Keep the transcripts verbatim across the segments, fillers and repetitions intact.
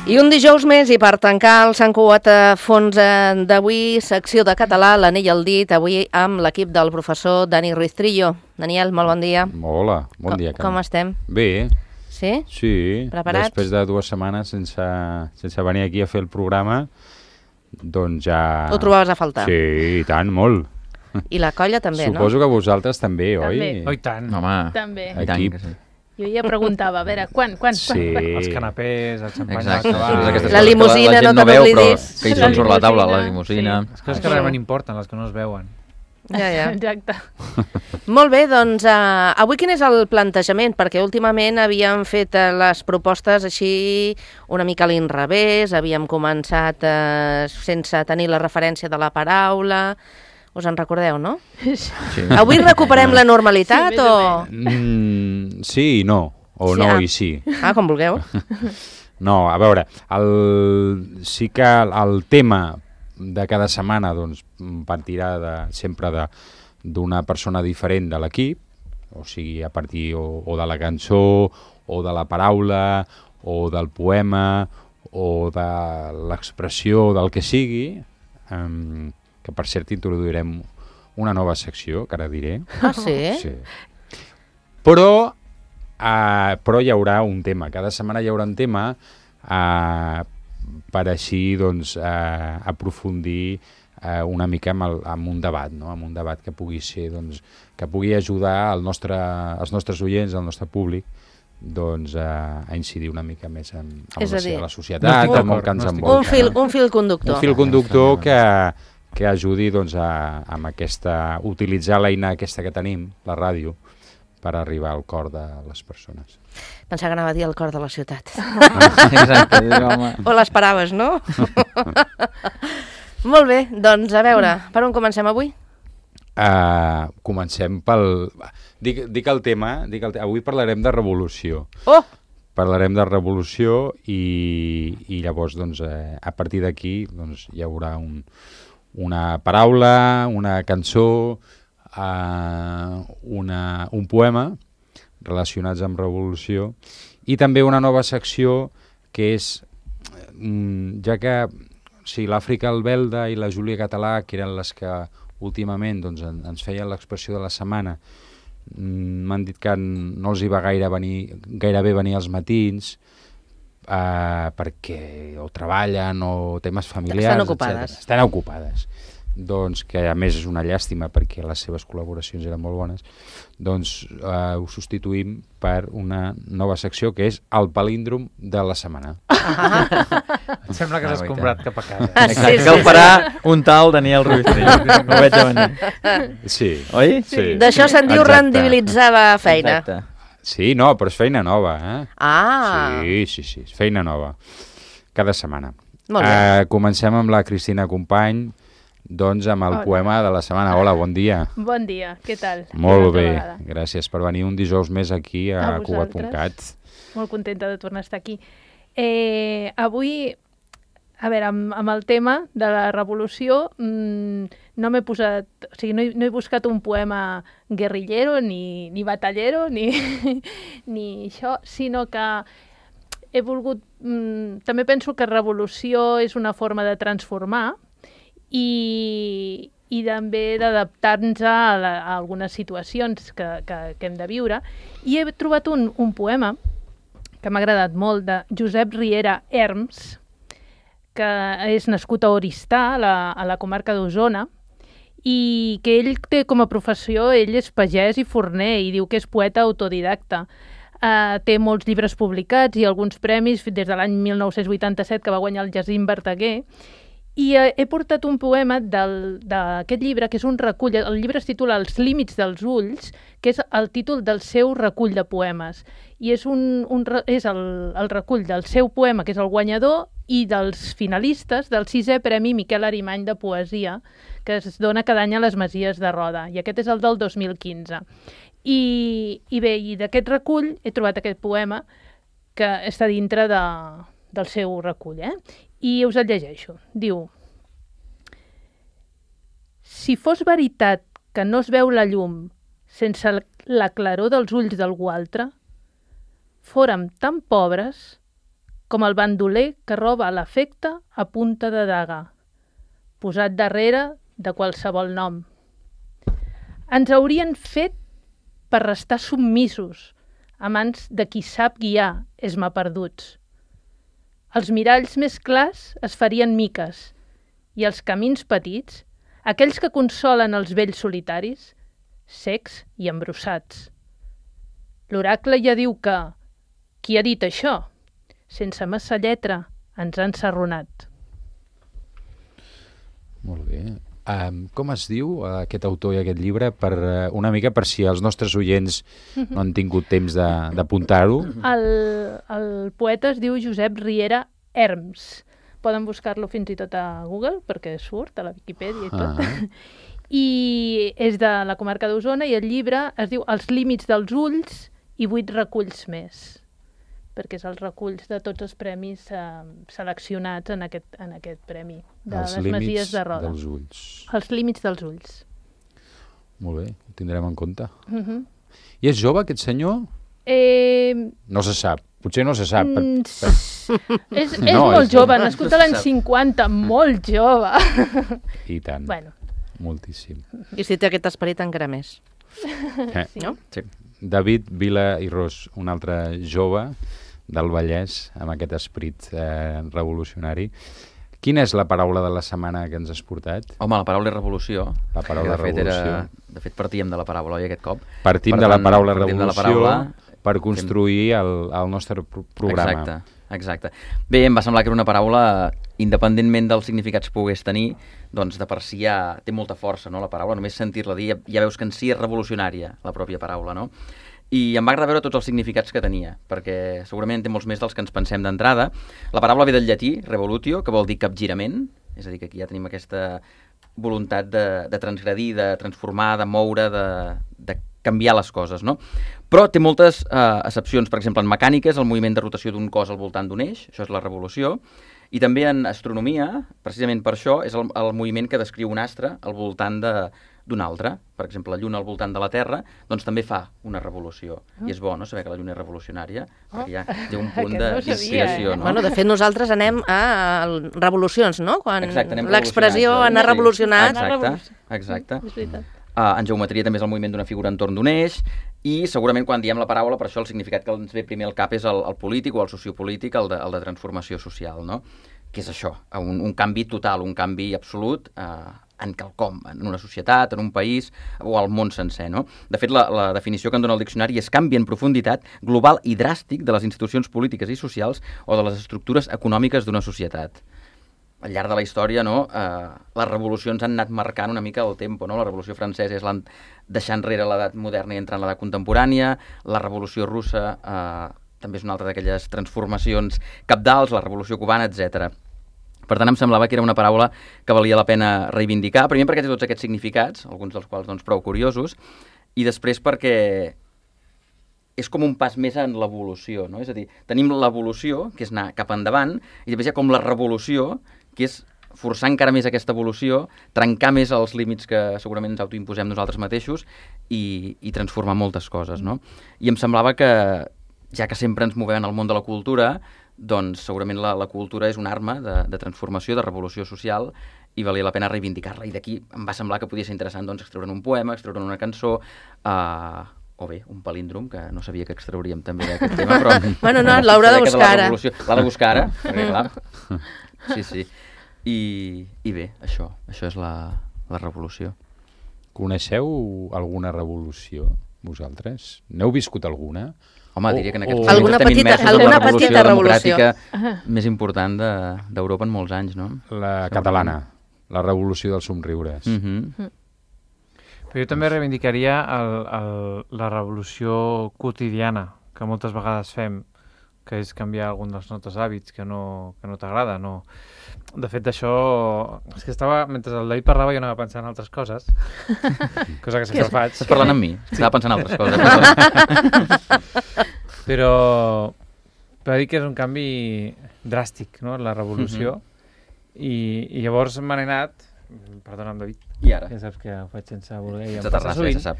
I un dijous més, i per tancar el Sant Cugat a fons d'avui, secció de català, l'anell al dit, avui amb l'equip del professor Dani Ruiz Trillo. Daniel, molt bon dia. Hola, bon dia. Com, com estem? Bé. Sí? Sí. Preparats? Després de dues setmanes sense, sense venir aquí a fer el programa, doncs ja... Ho trobaves a faltar? Sí, i tant, molt. I la colla també, Suposo no? Suposo que vosaltres també, també. oi? Oh, i tant. Home, també. Equip. Jo ja preguntava, a veure, quan, quan, Sí. quan? Els canapés, el xampany... Exacte. La, la limusina, no no te veu, n'oblidis. però que hi són sobre la taula, la limusina. Sí. Les coses que realment importen, les que no es veuen. Ja, ja. Exacte. Molt bé, doncs uh, avui quin és el plantejament? Perquè últimament havíem fet uh, les propostes així una mica a l'inrevés, havíem començat uh, sense tenir la referència de la paraula... Us en recordeu, no? Sí. Avui recuperem la normalitat Sí, o...? Mm, sí i no, o Sí, no ah. i sí. Ah, com vulgueu. No, a veure, el, sí que el, el tema de cada setmana doncs, partirà de, sempre de, d'una persona diferent de l'equip, o sigui, a partir o, o de la cançó, o de la paraula, o del poema, o de l'expressió del que sigui, um, que per cert introduirem una nova secció, que ara diré. Ah, sí? Sí. Però, uh, però hi haurà un tema, cada setmana hi haurà un tema uh, per així doncs, uh, aprofundir uh, una mica amb, el, amb un debat, no? Amb un debat que pugui ser, doncs, que pugui ajudar el nostre, els nostres oients, el nostre públic, doncs, uh, a incidir una mica més en, en És a la, dir, la societat, no en el que ens no envolta. Un fil, no? un fil conductor. Un fil conductor que, que ajudi doncs, a, amb aquesta, utilitzar l'eina aquesta que tenim, la ràdio, per arribar al cor de les persones. Pensava que anava a dir el cor de la ciutat. Exacte, home. O l'esperaves, no? Molt bé, doncs a veure, per on comencem avui? Uh, comencem pel... Dic, dic el tema, dic el te... avui parlarem de revolució. Oh! Parlarem de revolució i, i llavors doncs, eh, a partir d'aquí doncs, hi haurà un, una paraula, una cançó, uh, una, un poema relacionats amb revolució i també una nova secció que és, mm, ja que o sigui, l'Àfrica Albelda i la Júlia Català, que eren les que últimament doncs, en, ens feien l'expressió de la setmana, m'han dit que no els hi va gaire venir, gairebé venir als matins eh, perquè o treballen o temes familiars, Estan ocupades. etcètera. Estan ocupades. Doncs que a més és una llàstima perquè les seves col·laboracions eren molt bones, doncs eh, ho substituïm per una nova secció que és el palíndrom de la setmana. Ah. Em sembla que Ah, s'has oi, comprat tant. cap a casa. Ah, sí, Exacte, sí, que el sí. farà un tal Daniel Ruiz Trillo. No ho veig a venir. Sí. Oi? Sí. D'això se'n diu Exacte. rendibilitzar la feina. Exacte. Sí, no, però és feina nova, eh? Ah, Sí, sí, sí, és feina nova. Cada setmana. molt bé. Uh, comencem amb la Cristina Company, doncs amb el Hola. poema de la setmana. Hola, bon dia. Bon dia, què tal? Molt Una altra bé, vegada. gràcies per venir un dijous més aquí a, A a Cugat punt cat. vosaltres. Molt contenta de tornar a estar aquí. Eh, avui, a veure, amb, amb el tema de la revolució, mmm, no m'he posat, o sigui, no he, no he buscat un poema guerrillero, ni, ni batallero, ni, ni això, sinó que he volgut... Mmm, també penso que revolució és una forma de transformar i, i també d'adaptar-nos a, la, a algunes situacions que, que, que hem de viure. I he trobat un, un poema que m'ha agradat molt, de Josep Riera Herms, que és nascut a Oristà, a la, a la comarca d'Osona, i que ell té com a professió, ell és pagès i forner, i diu que és poeta autodidacta. Uh, té molts llibres publicats i alguns premis des de l'any mil nou-cents vuitanta-set que va guanyar el Jacint Verdaguer. I uh, he portat un poema d'aquest llibre, que és un recull, el llibre es titula Els límits dels ulls, que és el títol del seu recull de poemes. I és, un, un, és el, el recull del seu poema, que és el guanyador, i dels finalistes del sisè Premi Miquel Arimany de Poesia, que es dona cada any a les Masies de Roda, i aquest és el del dos mil quinze. I, i bé, i d'aquest recull he trobat aquest poema que està dintre de, del seu recull, eh? I us el llegeixo. Diu: si fos veritat que no es veu la llum sense la claror dels ulls d'algú altre, fórem tan pobres com el bandoler que roba l'afecte a punta de daga, posat darrere de qualsevol nom. Ens haurien fet per restar submisos, a mans de qui sap guiar esma perduts. Els miralls més clars es farien miques, i els camins petits, aquells que consolen els vells solitaris, secs i embrossats. L'oracle ja diu que, qui ha dit això? Sense massa lletra ens han serronat. Molt bé. Um, com es diu uh, aquest autor i aquest llibre? Per, uh, una mica per si els nostres oients no han tingut temps de- d'apuntar-ho. El, el poeta es diu Josep Riera Herms. Poden buscar-lo fins i tot a Google, perquè surt a la Viquipèdia i tot. Ah. I és de la comarca d'Osona i el llibre es diu Els límits dels ulls i vuit reculls més, perquè és els reculls de tots els premis eh, seleccionats en aquest, en aquest premi de Els les límits Masies de Roda. dels ulls. Els límits dels ulls. Molt bé, ho tindrem en compte. Uh -huh. I és jove, aquest senyor? eh, No se sap. Potser no se sap. Per, mm, per... és, és No, molt és- jove, nascut a l'any No se sap. cinquanta, molt jove. I tant. Bueno, Moltíssim. I si té aquest esperit encara més. Eh? No? Sí. David Vila i Ros, un altre jove del Vallès amb aquest esperit eh, revolucionari. Quina és la paraula de la setmana que ens has portat? Home, la paraula és revolució. La paraula que de fet revolució. Era, de fet, partíem de la paraula, oi, aquest cop? Partim Per de la tant, paraula partim de la revolució paraula, per construir el, el nostre pro programa. Exacte, exacte. Bé, em va semblar que era una paraula, independentment dels significats que pogués tenir, doncs de per si ja té molta força, no?, la paraula. Només sentir-la dir ja, ja veus que en si és revolucionària, la pròpia paraula, no? I em va agradar veure tots els significats que tenia, perquè segurament té molts més dels que ens pensem d'entrada. La paraula ve del llatí, revolutio, que vol dir capgirament, és a dir, que aquí ja tenim aquesta voluntat de, de transgredir, de transformar, de moure, de, de canviar les coses, no? Però té moltes eh, accepcions. Per exemple, en mecànica és el moviment de rotació d'un cos al voltant d'un eix, això és la revolució, i també en astronomia, precisament per això, és el, el moviment que descriu un astre al voltant de d'un altre. Per exemple, la Lluna al voltant de la Terra, doncs també fa una revolució. Ah. I és bo, no?, saber que la Lluna és revolucionària, Ah. perquè ja té un punt Aquest no ho sabia, d'inspiració, eh? no? Bueno, de fet, nosaltres anem a revolucions, no? Quan Exacte, anem l'expressió revolucionats, anar oi? revolucionats... Anar Exacte, revolucionats. exacte. És veritat. Uh, en geometria també és el moviment d'una figura entorn d'un eix, i segurament quan diem la paraula, per això el significat que ens ve primer al cap és el, el polític o el sociopolític, el de, el de transformació social, no? Que és això, un, un canvi total, un canvi absolut uh, en quelcom, en una societat, en un país o al món sencer, no? De fet, la, la definició que en dona el diccionari és canvi en profunditat, global i dràstic de les institucions polítiques i socials o de les estructures econòmiques d'una societat. Al llarg de la història, no, eh, les revolucions han anat marcant una mica el tempo, no? La Revolució Francesa és l'han deixar enrere l'edat moderna i entrar en l'edat contemporània, la Revolució Russa eh, també és una altra d'aquelles transformacions cabdals, la Revolució Cubana, etcètera. Per tant, em semblava que era una paraula que valia la pena reivindicar, primer perquè té tots aquests significats, alguns dels quals doncs, prou curiosos, i després perquè és com un pas més en l'evolució, no? És a dir, tenim l'evolució, que és anar cap endavant, i després hi ha com la revolució, que és forçar encara més aquesta evolució, trencar més els límits que segurament ens autoimposem nosaltres mateixos i, i transformar moltes coses, no? I em semblava que, ja que sempre ens movem en el món de la cultura, doncs segurament la, la cultura és una arma de, de transformació, de revolució social, i valia la pena reivindicar-la. I d'aquí em va semblar que podia ser interessant doncs, extreure'n un poema, extreure'n una cançó, eh, o bé, un palíndrom, que no sabia que extrauríem també d'aquest tema, però... Bueno, no, l'haurà de buscar ara. L'ha de buscar ara, perquè clar... Sí, sí. I, i bé, això, això és la, la revolució. Coneixeu alguna revolució, vosaltres? N'heu viscut alguna? Home, O- diria que en aquests o- moments Alguna estem petita- immersos en alguna la revolució petita revolució. democràtica més important de- d'Europa en molts anys, no? La catalana, la revolució dels somriures. Mm -hmm. Però jo també reivindicaria el, el, la revolució quotidiana, que moltes vegades fem, que és canviar algun dels nostres hàbits que no, que no t'agrada. No. De fet, d'això... És que estava... Mentre el David parlava jo anava pensant en altres coses, cosa que sempre faig. Estàs parlant amb mi? Estava pensant en altres coses. Però... Però dir que és un canvi dràstic, no?, la revolució. Mhm. I, I llavors me n'he anat... Perdona'm, David. I ara? Ja saps que ho faig sense voler i em Sense passa terrassa, ja sovint. se sap.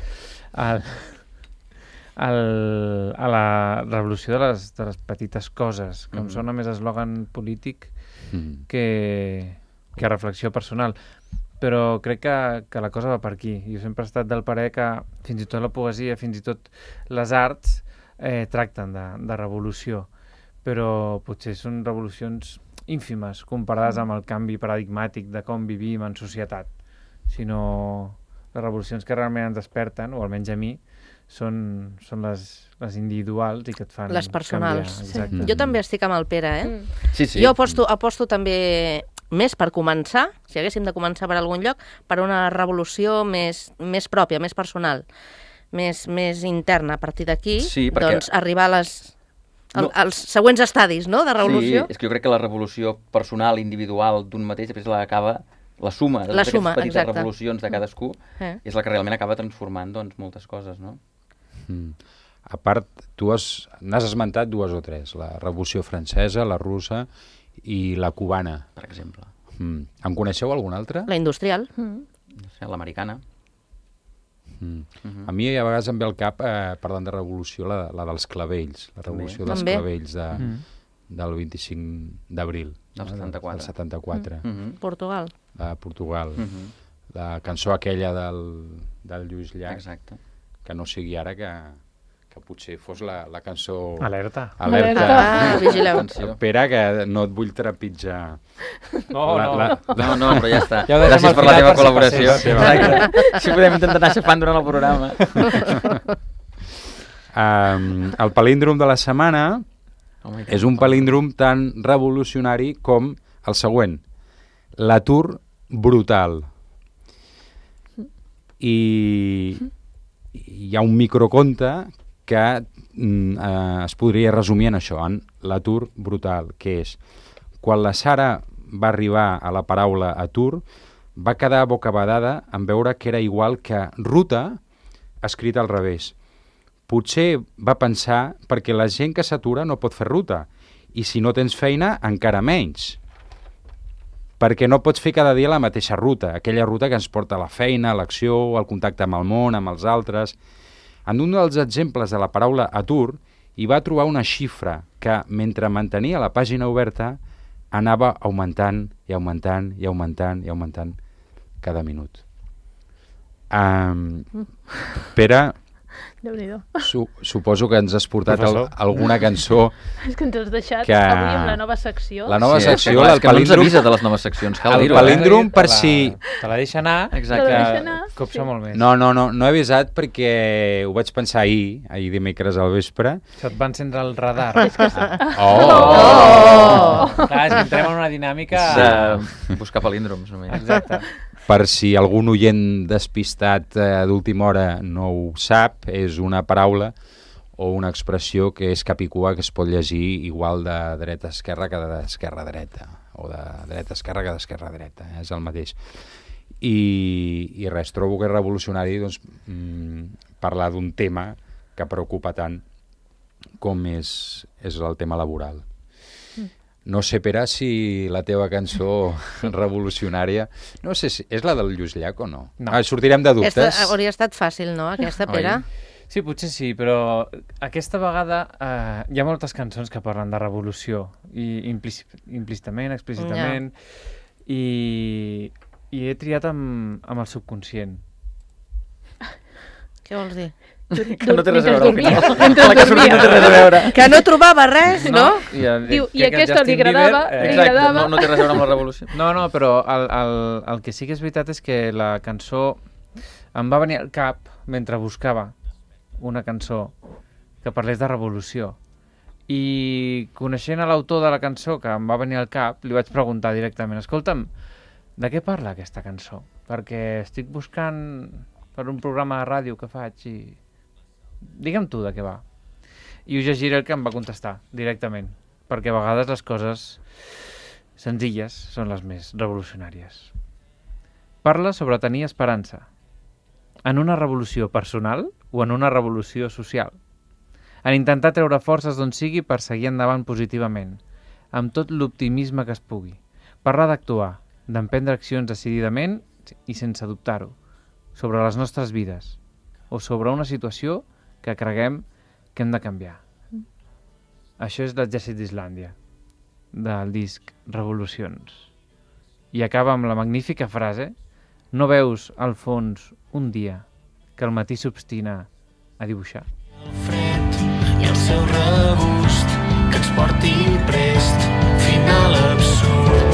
Al, el, a la revolució de les, de les petites coses, que mm. em Mm. sona més eslògan polític Mm. que, que reflexió personal. Però crec que, que la cosa va per aquí. Jo sempre he estat del parer que fins i tot la poesia, fins i tot les arts eh, tracten de, de revolució, però potser són revolucions ínfimes comparades amb el canvi paradigmàtic de com vivim en societat, sinó les revolucions que realment ens desperten, o almenys a mi, són, són les, les individuals i que et fan Les personals. canviar. Exacte. Mm. Jo també estic amb el Pere, eh? Mm. Sí, sí. Jo aposto, aposto també més per començar, si haguéssim de començar per algun lloc, per una revolució més, més pròpia, més personal, més, més interna. A partir d'aquí, Sí, perquè- doncs, arribar a les, al, No. als següents estadis, no?, de revolució. Sí, és que jo crec que la revolució personal, individual d'un mateix, després l'acaba, la suma de La totes suma, aquestes petites exacte. revolucions de cadascú, Eh? és la que realment acaba transformant doncs, moltes coses, no? Mm. A part, tu has, n'has esmentat dues o tres, la Revolució Francesa, la russa i la cubana. Per exemple. Mm. En coneixeu alguna altra? La industrial. Mm. No sé, l'americana. Mm. Mhm. A mi a vegades em ve al cap, eh, parlant de revolució, la, la dels clavells, la També. revolució dels També. clavells de, Mm. del vint-i-cinc d'abril. Del no? setanta-quatre. Del setanta-quatre, Mhm. Portugal. de Portugal. Mhm. La cançó aquella del, del Lluís Llach, Exacte. que no sigui ara que, que potser fos la, la cançó... Alerta. Alerta. Ah, vigileu. Atenció. Espera, que no et vull trepitjar. No, La- no. la- No, no, però ja està. Ja ho deixem Gràcies al per la final teva per si col·laboració. passés. Exacte. Si podem intentar anar xafant durant el programa. Um, el palíndrom de la setmana Home, és un palíndrom tan revolucionari com el següent. L'atur brutal. I hi ha un microconte que mm, eh, es podria resumir en això, en l'atur brutal, que és quan la Sara va arribar a la paraula atur, va quedar bocabadada en veure que era igual que ruta escrit al revés. Potser va pensar perquè la gent que s'atura no pot fer ruta, i si no tens feina, encara menys. Perquè no pots fer cada dia la mateixa ruta, aquella ruta que ens porta a la feina, a l'acció, al contacte amb el món, amb els altres. En un dels exemples de la paraula atur, hi va trobar una xifra que, mentre mantenia la pàgina oberta, anava augmentant i augmentant i augmentant i augmentant cada minut. Um, Pere, Déu-n'hi-do. su suposo que ens has portat al, Professor. alguna cançó. És que ens has deixat Que- avui amb la nova secció. La nova Sí, secció, clar, el és que no ens palíndrom- avisa de les noves seccions, cal El dir-ho. palíndrom- Eh? per Te la- si- Te la deixa anar, Exacte. Te la deixa que anar, copsa sí. molt més. No, no, no, no he avisat perquè ho vaig pensar ahir, ahir dimecres al vespre. Això et va encendre el radar. Oh! Clar, és que entrem en una dinàmica... De buscar palíndroms, només. Exacte. Per si algun oient despistat eh, d'última hora no ho sap, és una paraula o una expressió que és capicua, que es pot llegir igual de dreta a esquerra que d'esquerra a dreta, o de dreta a esquerra que d'esquerra a dreta, eh? És el mateix. I, i res, trobo que és revolucionari doncs, mm, parlar d'un tema que preocupa tant com és, és el tema laboral. No sé, Pere, si la teva cançó revolucionària... No sé si és la del Lluís Llach o no. No. Ah, sortirem de dubtes. Aquesta hauria estat fàcil, no?, aquesta, Oi? Pere? Sí, potser sí, però aquesta vegada eh, hi ha moltes cançons que parlen de revolució, i implícit, implícitament, explícitament, i, i he triat amb, amb el subconscient. Què vols dir? Que no té res a veure al Mentre final. dormia. Mentre La que ha sortit no té res a veure. Que no trobava res, no? I, el, Diu, i crec que el aquesta li Justin agradava, Bieber, li eh, Exacte, agradava. no, no té res a veure amb la revolució. No, no, però el, el, el que sí que és veritat és que la cançó em va venir al cap mentre buscava una cançó que parlés de revolució. I coneixent a l'autor de la cançó que em va venir al cap, li vaig preguntar directament, escolta'm, de què parla aquesta cançó? Perquè estic buscant per un programa de ràdio que faig i... Digue'm tu de què va. I us llegiré el que em va contestar directament, perquè a vegades les coses senzilles són les més revolucionàries. Parla sobre tenir esperança. En una revolució personal o en una revolució social. En intentar treure forces d'on sigui per seguir endavant positivament, amb tot l'optimisme que es pugui. Parlar d'actuar, d'emprendre accions decididament i sense dubtar-ho, sobre les nostres vides, o sobre una situació que creguem que hem de canviar. Mm. Això és l'exèrcit d'Islàndia, del disc Revolucions. I acaba amb la magnífica frase: no veus al fons un dia que el matí s'obstina a dibuixar. El fred i el seu regust que ens porti prest, final absurd.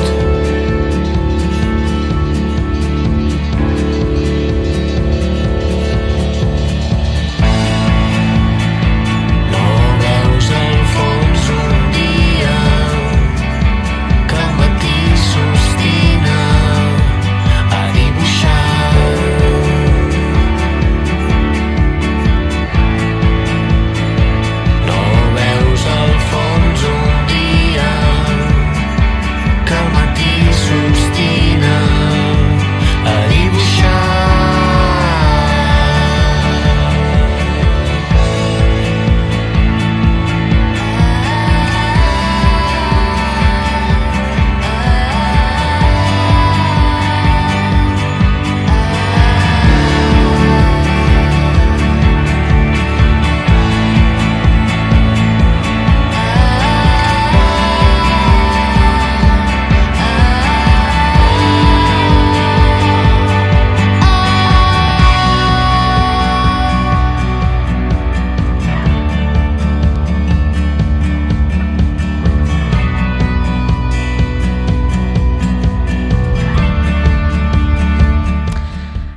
No veus al fons un dia que el matí s'obstina a dibuixar.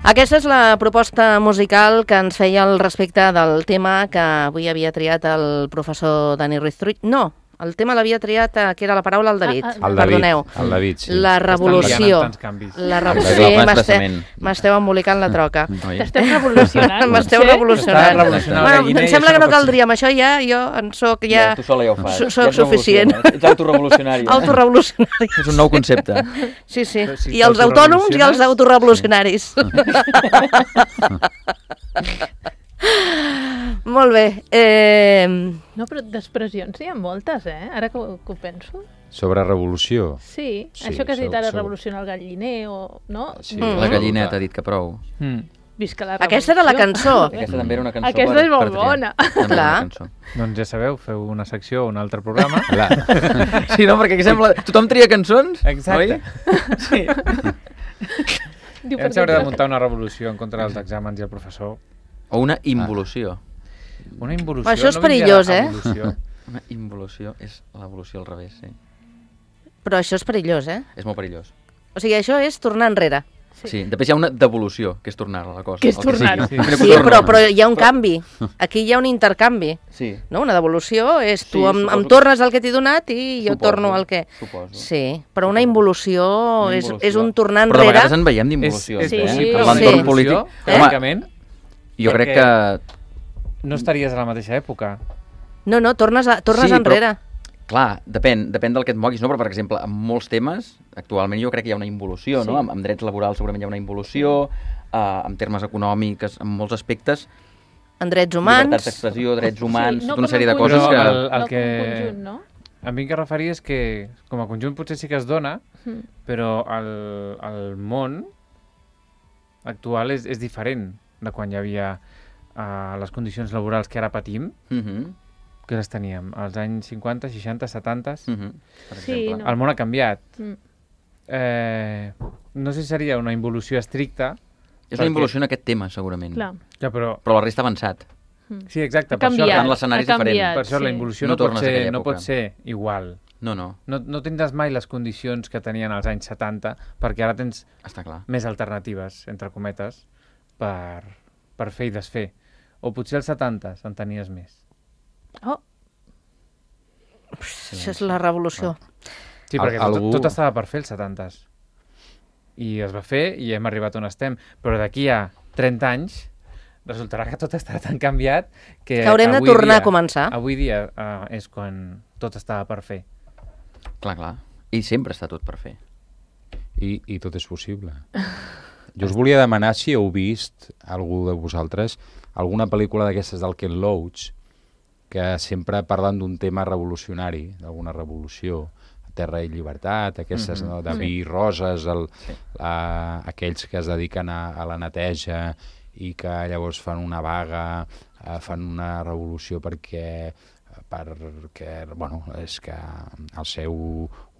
Aquesta és la proposta musical que ens feia al respecte del tema que avui havia triat el professor Dani Ruiz Trull. No, el tema l'havia triat, eh, que era la paraula, el David. Ah, ah, El David, Perdoneu. el David, sí. La revolució. La revolució. El M'esteu desplaçament. m'esteu embolicant la troca. Oi? T'esteu revolucionant. M'esteu potser? revolucionant. Estàs revolucionant el Bueno, galliner em i sembla això que no no pot caldria, amb això ja jo en soc ja... Ja, tu sola ja ho fas. So- Ja soc ets suficient. revolucionari. Ets autorevolucionari. eh? Autorevolucionari. És un nou concepte. Sí, sí. Però si I els autònoms i els autorevolucionaris. Molt bé. Eh, No, però d'expressions hi ha moltes, eh? Ara que, ho- que ho penso. Sobre revolució. Sí, Sí, això que has dit sou- ara, sou- revolucionar el galliner, o... no? Sí. Mm. La gallineta ha dit que prou. Mm. Visca la revolució. Aquesta era la cançó. Aquesta també era una cançó. Aquesta per- és molt per triar. bona. També era una Clar. cançó. Doncs ja sabeu, feu una secció o un altre programa. La... Sí, no? Perquè aquí sembla... Tothom tria cançons, Exacte. oi? Sí. Diu, Hem perquè s'haurà de jo- muntar una revolució en contra dels exàmens i el professor. O una involució. Una involució. Això és no vindria perillós, de eh? evolució. Una involució és l'evolució al revés, sí. Però això és perillós, eh? És molt perillós. O sigui, això és tornar enrere. Sí, després hi ha una devolució, que és tornar a la cosa. Que és el tornar-ho. sigui. Sí. Mira, Sí, torno. però, però hi ha un canvi. Aquí hi ha un intercanvi. Sí, No? Una devolució és tu Sí, em, suposo em que- tornes el que t'he donat i jo Suposo, torno el que... suposo. Sí, però una involució, Una és, involució. és un tornar Però de enrere. vegades en veiem d'involucions, És- és eh? possible, Per sí. l'entorn Sí. polític. Evolució, Home, tècnicament, jo crec perquè- que... no estaries a la mateixa època. No, no, tornes, a, tornes Sí, però- enrere. Clar, depèn, depèn del que et moguis, no? Però, per exemple, en molts temes, actualment jo crec que hi ha una involució, no? Sí. Amb, amb drets laborals segurament hi ha una involució, uh, en termes econòmics, en molts aspectes, En drets llibertats humans. d'expressió, drets humans, Sí, no tota una com sèrie de un coses conjunt, que... Però el- no com un que- conjunt, no? A mi el que referia és que, com a conjunt, potser sí que es dona, Mm. però el, el món actual és, és diferent de quan hi havia uh, les condicions laborals que ara patim, Mhm, que les teníem als anys cinquanta, seixanta, setanta. mhm, per Sí, exemple. no. El món ha canviat. Mm. Eh, no sé si seria una involució estricta. És una perquè- involució en aquest tema, segurament. Clar. Ja, però... Però la resta ha avançat. Sí, exacte. Ha Per això, canviat, en l'escenari ha és diferent. canviat, per això sí. la involució No no, pot tornes a ser, aquella no pot època. ser igual. No, no, No, no tindràs mai les condicions que tenien als anys setanta, perquè ara tens està clar. més alternatives, entre cometes, per, per fer i desfer. O potser als setanta en tenies més. Oh, Això és la revolució. Sí, Al- perquè tot, algú- tot estava per fer els setanta. I es va fer i hem arribat on estem. Però d'aquí a trenta anys resultarà que tot està tan canviat que, Que haurem de avui tornar dia, a començar. Avui dia uh, és quan tot estava per fer. Clar, clar. I sempre està tot per fer. I, I tot és possible. Jo us volia demanar si heu vist, algú de vosaltres, alguna pel·lícula d'aquestes del Ken Loach, que sempre parlen d'un tema revolucionari, d'alguna revolució, Terra i Llibertat, aquestes, Mhm. no? de vi i roses, el, Sí. a, aquells que es dediquen a, a la neteja i que llavors fan una vaga eh, fan una revolució perquè perquè, bueno, és que el seu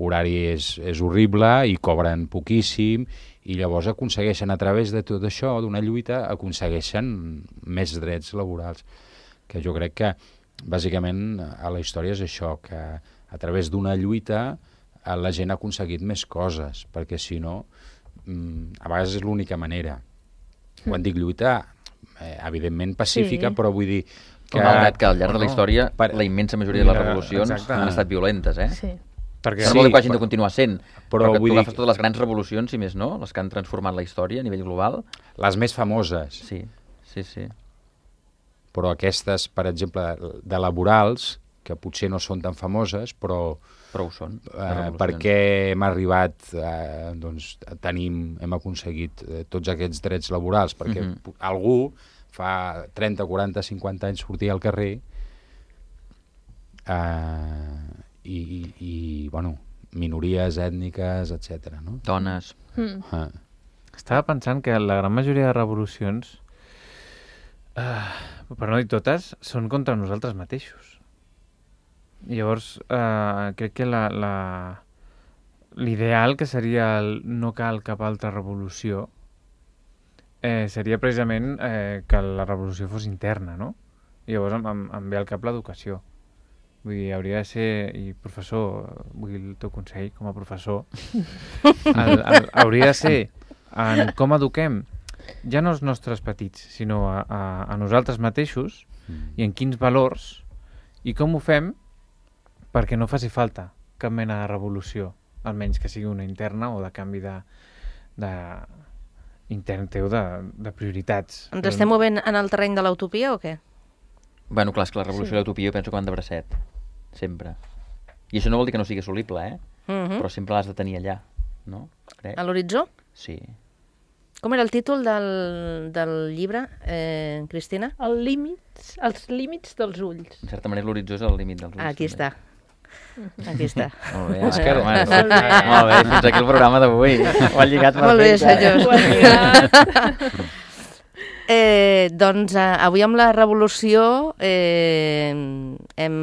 horari és, és horrible i cobren poquíssim i llavors aconsegueixen a través de tot això, d'una lluita, aconsegueixen més drets laborals. Que jo crec que, bàsicament, a la història és això, que a través d'una lluita la gent ha aconseguit més coses, perquè si no, a vegades és l'única manera. Quan dic lluita, eh, evidentment pacífica, sí. Però vull dir que... Malgrat que al llarg de la història, per... la immensa majoria de les revolucions Exacte. Han estat violentes, eh? Sí. Perquè no vol dir que hagin de continuar sent, però, però que tu agafes dir... totes les grans revolucions, si més no, les que han transformat la història a nivell global. Les més famoses. Sí, sí, sí. Però aquestes, per exemple, de laborals, que potser no són tan famoses, però... Però ho són. Eh, perquè hem arribat, eh, doncs, tenim, hem aconseguit eh, tots aquests drets laborals, perquè mm-hmm. algú fa trenta, quaranta, cinquanta anys sortia al carrer eh, i, i, i, bueno, minories ètniques, etcètera, no? Dones. Mm. Ah. Estava pensant que la gran majoria de revolucions, eh, per no dir totes, són contra nosaltres mateixos. I llavors, eh, crec que la, la, l'ideal, que seria el no cal cap altra revolució, eh, seria precisament eh, que la revolució fos interna, no? I llavors em, em, em ve al cap l'educació. Vull dir, hauria de ser, i professor, vull el teu consell com a professor, el, el, hauria de ser en com eduquem ja no els nostres petits, sinó a, a, a nosaltres mateixos i en quins valors i com ho fem perquè no faci falta cap mena de revolució, almenys que sigui una interna o de canvi de, de intern teu de, de prioritats. Ens estem movent en el terreny de l'utopia o què? Bueno, clar, és que la revolució sí. de l'utopia jo penso que van de bracet, sempre. I això no vol dir que no sigui assolible, eh? Uh-huh. Però sempre l'has de tenir allà, no? Crec. A l'horitzó? Sí. Com era el títol del, del llibre, eh, Cristina? El límits, els límits dels ulls. En certa manera l'horitzó és el límit dels ulls. Ah, aquí també. està. Aquí està. Molt bé, És que- home, molt bé. Molt bé, fins aquí el programa d'avui. Ho ha lligat perfecte. Molt bé, senyors. Ho has lligat. Eh, doncs eh, avui amb la revolució eh, hem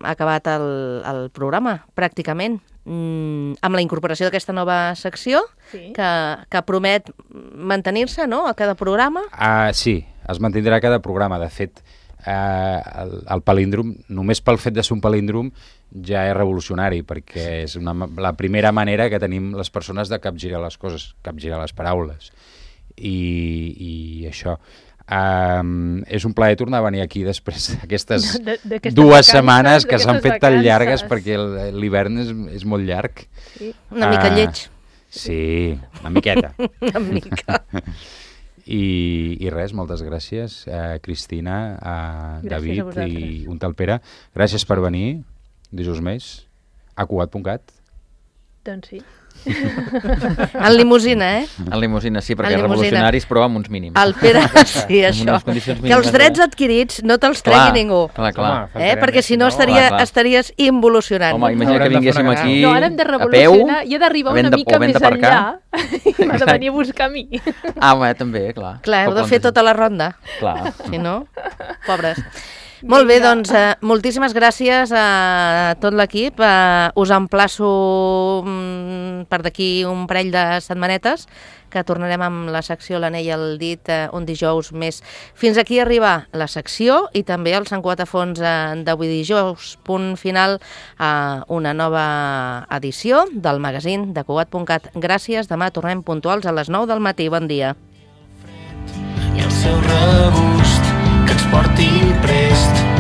acabat el, el programa, pràcticament, mm, amb la incorporació d'aquesta nova secció, Sí. que, que promet mantenir-se, no?, a cada programa. Ah, sí, es mantindrà cada programa. De fet, eh, el, el palíndrom, només pel fet de ser un palíndrom, ja és revolucionari, perquè és una, la primera manera que tenim les persones de capgirar les coses, capgirar les paraules. I, i això. Um, és un plaer tornar a venir aquí després d'aquestes De- d'aquestes dues vacances, setmanes que s'han d'aquestes fet tan vacances. llargues perquè el- l'hivern és, és molt llarg. Sí. Una mica Ah, lleig, Sí, una miqueta. una mica. I, i res, moltes gràcies, eh, Cristina, a Gràcies a David i vosaltres. un tal Pere. Gràcies per venir, dijous més, a cugat punt cat. Doncs sí. En limusina, eh? En limusina, sí, perquè En limusina. revolucionaris, però amb uns mínims. El Pere, sí, això. unes condicions Que els mínimes drets de- adquirits no te'ls Clar, tregui ningú. Clar, clar. Home, Eh? faltaria Perquè més, si no no? estaria, Clar, clar. estaries involucionant. Home, imagina Haurem que de fer vinguéssim una gran- aquí No, ara hem de a peu. revolucionar i he d'arribar havent una de- mica o havent més d'aparcar. enllà i m'ha de venir a buscar a mi. Ah, bé, també, clar. Clar, heu Tot de fer planteja- tota la ronda. Clar. Si no, pobres. Molt bé, Vinga. doncs, eh, moltíssimes gràcies a tot l'equip. Eh, us emplaço mm, per d'aquí un parell de setmanetes, que tornarem amb la secció L'anell al dit eh, un dijous més. Fins aquí arriba la secció i també el Sant Cugat a fons eh, d'avui dijous, punt final a una nova edició del magazín de Cugat punt cat. Gràcies, demà tornem puntuals a les nou del matí. Bon dia. I el seu regust que ens porti prest